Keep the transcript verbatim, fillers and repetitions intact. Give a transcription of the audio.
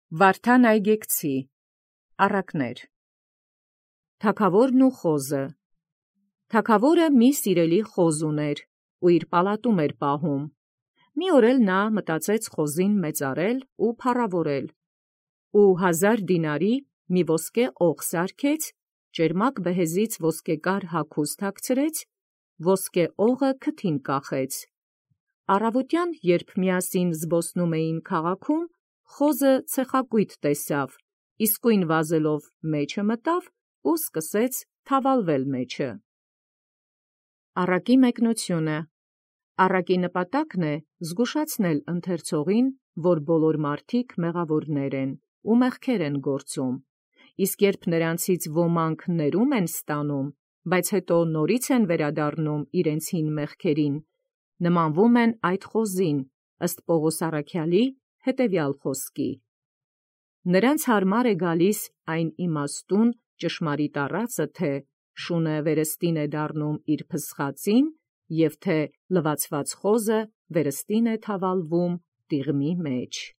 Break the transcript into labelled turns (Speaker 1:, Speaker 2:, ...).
Speaker 1: Վարդան այգեկցի առակներ։ Թագաւորն ու խոզը։ Թագաւորը մի սիրելի խոզ ուներ, ու իր պալատում էր պահում։ Մի օր էլ նա մտածեց խոզին մեծարել ու փառաւորել, ու հազար դինարի մի ոսկե օղ սարքեց, ճերմակ բեհեզից ոսկեկար հագուստ հագցրեց, ոսկե օղը քթին կախեց։ Առավոտյան, երբ միասին զբոսնում էին քաղաքում, խոզը ցեխակույտ տեսավ, իսկույն վազելով մեջը մտավ ու սկսեց թավալվել մեջը։ Առակի մեկնությունը։ Առակի նպատակն է զգուշացնել ընթերցողին, որ բոլոր մարդիկ մեղավորներ են ու մեղքեր են գործում, իսկ երբ նրանցից ոմանք ներում են ստանում, բայց հետո նորից են վերադառնում իրենց հին մեղքերին, նմանվում են այդ խոզին, ըստ Պողոս առաքյալի հետևյալ խոսքի. նրանց հարմար է գալիս այն իմաստուն ճշմարիտ առածը, թե շունը վերստին է դառնում իր փսխածին, և թե լվացված խոզը վերստին է թավալվում տիղմի մեջ։